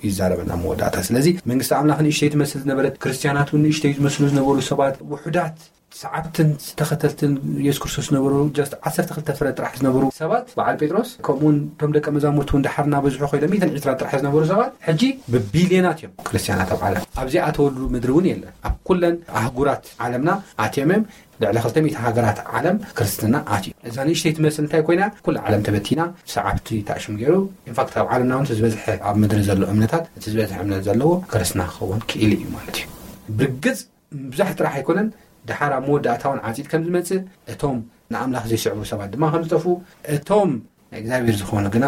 ይዛረበና መወዳእታ። ስለዚ መንግስቲ ኣምላኽ ንእሽተይ ትመስል ዝነበረት፣ ክርስትያናት እውን ንእሽተይ ዝመስሉ ዝነበሩ ሰባት፣ ውሑዳት ሰዓብትን ተኸተልትን የሱስ ክርስቶስ ዝነበሩ just ዓሰርተ ክልተ ፍረ ጥራሕ ዝነበሩ ሰባት፣ በዓል ጴጥሮስ ከምኡውን እቶም ደቀ መዛሙርቱ እውን ደሓር እናበዝሑ ኮይኖም ሚእትን ዕስራ ጥራሕ ዝነበሩ ሰባት ሕጂ ብቢልዮናት እዮም ክርስትያናት ኣብ ዓለም። ኣብ ዘይኣተወሉ ምድሪ እውን የለን። ኣብ ኩለን ኣህጉራት ዓለምና ኣትዮም እዮም። ልዕሊ ክልተ ሚእቲ ሃገራት ዓለም ክርስትና ኣትዩ። እዛ ንእሽተይ ትመስል እንታይ ኮይና? ኩሉ ዓለም ተበቲና፣ ሰዓብቲ ታሽም ገይሩ። ኢንፋክት ኣብ ዓለምና እውን እቲ ዝበዝሐ ኣብ ምድሪ ዘሎ እምነታት፣ እቲ ዝበዝሐ እምነት ዘለዎ ክርስትና ክኸውን ክኢሉ እዩ ማለት እዩ። ብርግጽ ምብዛሕ ጥራሕ ኣይኮነን፣ ደሓር ኣብ መወዳእታ እውን ዓጺድ ከም ዝመጽእ፣ እቶም ንኣምላኽ ዘይስዕቡ ሰባት ድማ ከም ዝጠፍኡ፣ እቶም ናይ እግዚኣብሔር ዝኾኑ ግና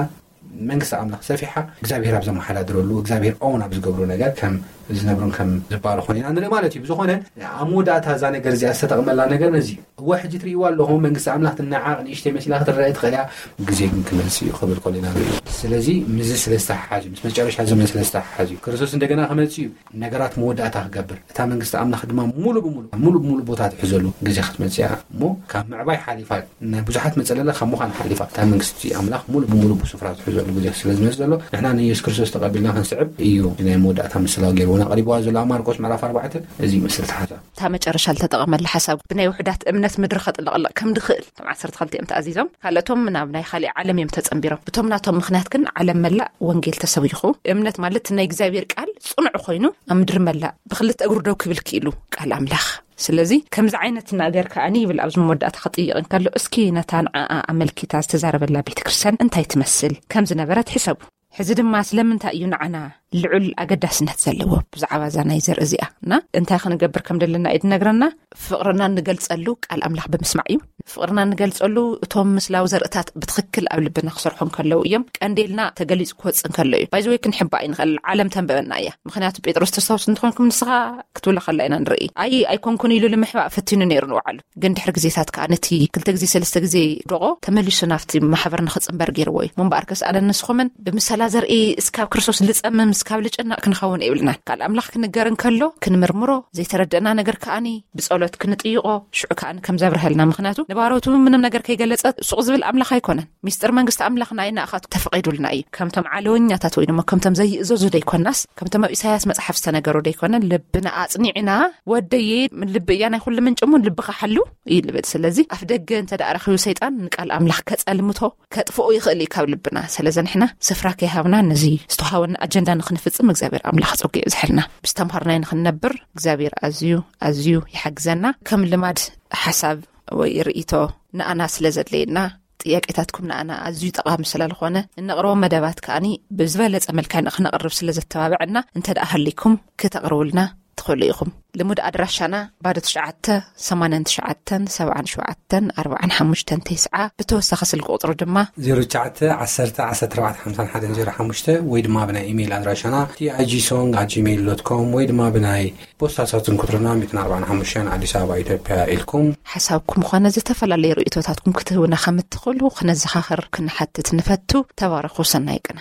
መንግስቲ ኣምላኽ ሰፊሓ እግዚኣብሔር ኣብ ዘመሓዳድረሉ፣ እግዚኣብሔር ኦውን ኣብ ዝገብሩ ነገር ከም ዝነብሩን ከም ዝባረኹን ኢና ንርኢ ማለት እዩ። ብዝኾነ ኣብ መወዳእታ እዛ ነገር እዚኣ ዝተጠቕመላ ነገር ነዚ እዩ። እወ ሕጂ ትርእይዋ ኣለኹም፣ መንግስቲ ኣምላኽ ትነዓቕ ንእሽተይ መሲላ ክትረአ ትኽእል እያ፣ ግዜ ግን ክመጽእ እዩ ክብል ከሎ ኢና ንርኢ። ስለዚ ምስዚ ስለ ዝተሓሓዝ እዩ፣ ምስ መጨረሻ ዘመን ስለ ዝተሓሓዝ እዩ። ክርስቶስ እንደገና ክመጽእ እዩ፣ ነገራት መወዳእታ ክገብር፣ እታ መንግስቲ ኣምላኽ ድማ ሙሉ ብሙሉ፣ ሙሉ ብሙሉ ቦታ ትሕዘሉ ግዜ ክትመጽእ እያ። እሞ ካብ ምዕባይ ሓሊፋ፣ ናይ ብዙሓት መጸለለ ካብ ምዃን ሓሊፋ፣ እታ መንግስቲ ኣምላኽ ሙሉ ብሙሉ ብስፍራ ትሕዘሉ ግዜ ስለ ዝመጽእ ዘሎ፣ ንሕና ንየሱስ ክርስቶስ ተቐቢልና ክንስዕብ እዩ ናይ መወዳእታ ምስላ ገይርዎና ቀሪብዋ ዘሎ ኣብ ማርቆስ ምዕራፍ ኣርባዕተ። እዚ ይመስል ተሓዛ። እታ መጨረሻ ዝተጠቐመላ ሓሳብ ብናይ ውሑዳት እምነት ምድሪ ከጥለቕለቕ ከም ድኽእል፣ እቶም ዓሰርተ ክልተ እዮም ተኣዚዞም። ካልኦቶም ናብ ናይ ካሊእ ዓለም እዮም ተጸንቢሮም። ብቶም ናቶም ምኽንያት ግን ዓለም መላእ ወንጌል ተሰቢኹ። እምነት ማለት ናይ እግዚኣብሔር ቃል ጽኑዕ ኮይኑ ኣብ ምድሪ መላእ ብክልተ እግሩ ደው ክብል ክኢሉ ቃል ኣምላኽ። ስለዚ ከምዚ ዓይነት ነገር ከኣኒ ይብል ኣብዚ መወዳእታ ክጥይቕ እንከሎ፣ እስኪ ነታ ንዓኣ ኣመልኪታ ዝተዛረበላ ቤተ ክርስቲያን እንታይ ትመስል ከም ዝነበረት ሕሰቡ። ሕዚ ድማ ስለምንታይ እዩ ንዓና ልዑል ኣገዳስነት ዘለዎ ብዛዕባ እዛ ናይ ዘርኢ እዚኣ እና እንታይ ክንገብር ከም ዘለና እዩ ዝነግረና። ፍቕርና እንገልጸሉ ቃል ኣምላኽ ብምስማዕ እዩ። ፍቕርና እንገልጸሉ እቶም ምስላዊ ዘርእታት ብትኽክል ኣብ ልብና ክሰርሑ እንከለዉ እዮም። ቀንዴልና ተገሊጹ ክወጽእ እንከሎ እዩ። ባይዘወይ ክንሕባእ ይንኽእል፣ ዓለም ተንበበና እያ። ምኽንያቱ ጴጥሮስ ተስታውስ እንተኾንኩም ንስኻ ክትብሎ ከላ ኢና ንርኢ። ኣይ ኣይኮንኩን ኢሉ ንምሕባእ ፈቲኑ ነይሩ ንውዓሉ። ግን ድሕሪ ግዜታት ከኣ ነቲ ክልተ ግዜ ሰለስተ ግዜ ደቆ ተመሊሱ ናብቲ ማሕበር ንኽጽንበር ገይርዎ እዩ። ምንባርከስ ኣነ ንስኹምን ብምሰላ ዘርኢ እስካብ ክርስቶስ ልጸምም እስካብ ልጨነቕ ክንኸውን የብልናን። ቃል ኣምላኽ ክንገር እንከሎ ክንምርምሮ፣ ዘይተረደእና ነገር ከኣኒ ብጸሎት ክንጥይቖ፣ ሽዑ ከኣኒ ከም ዘብርሀልና። ምኽንያቱ ንባሮቱ ምንም ነገር ከይገለጸ ሱቕ ዝብል ኣምላኽ ኣይኮነን። ሚስጥር መንግስቲ ኣምላኽ ንኣይ ንኣኻቱ ተፈቒዱልና እዩ። ከምቶም ዓለወኛታት ወይ ድማ ከምቶም ዘይእዘዙ ደይኮናስ፣ ከምቶም ኣብ ኢሳያስ መጽሓፍ ዝተነገሩ ደይኮነ፣ ልብና ኣጽኒዕና፣ ወደየ፣ ልቢ እያ ናይ ኩሉ ምንጭ እሞ ልብኻ ሓሉ እዩ ልብል። ስለዚ ኣፍ ደገ እንተ ደኣ ረኺቡ ሰይጣን ንቃል ኣምላኽ ከጸልምቶ፣ ከጥፍኦ ይኽእል እዩ ካብ ልብና። ስለዚ ንሕና ስፍራ ከይሃብና ነዚ ዝተዋሃበና ኣጀንዳ ንኽንፍጽም እግዚኣብሔር ኣምላኽ ጸጉ የብዝሐልና። ብዝተምሃርናይ ንኽንነብር እግዚኣብሔር ኣዝዩ፣ ኣዝዩ ይሓግዘና። ከም ልማድ ሓሳብ ወይ ርእይቶ ንኣና ስለ ዘድለየና፣ ጥያቄታትኩም ንኣና ኣዝዩ ጠቓሚ ስለ ዝኾነ፣ እነቕርቦም መደባት ከኣኒ ብዝበለጸ መልክዕ ንኽነቕርብ ስለ ዘተባብዐና፣ እንተ ደኣ ሃሊኩም ክተቕርቡልና ትኽእሉ ኢኹም። ልሙድ ኣድራሻና ባዶ ትሽዓተ፣ ሰማንያን ትሽዓተን፣ ሰብዓን ሸውዓተን፣ ኣርብዓን ሓሙሽተን፣ ተስዓ፣ ብተወሳኺ ስልኪ ቁጽሪ ድማ ዜሮ ትሽዓተ፣ ዓሰርተ፣ ዓሰርተ ኣርባዕተ፣ ሓምሳን ሓደን ዜሮ ሓሙሽተ ወይ ድማ ብናይ ኢሜይል ኣድራሻና ቲ ኣይ ጂ ሶንግ ኣት ጂሜይል ዶት ኮም ወይ ድማ ብናይ ፖስታ ሳጥን ቁጽርና ሚእትን ኣርባዓን ሓሙሽተን ኣዲስ ኣበባ ኢትዮጵያ ኢልኩም ሓሳብኩም ኾነ ዝተፈላለዩ ርእይቶታትኩም ክትህቡና ከም እትኽእሉ ክነዘኻኽር ክንሓትት ንፈቱ። ተባረኹ። ሰናይ ቅነ።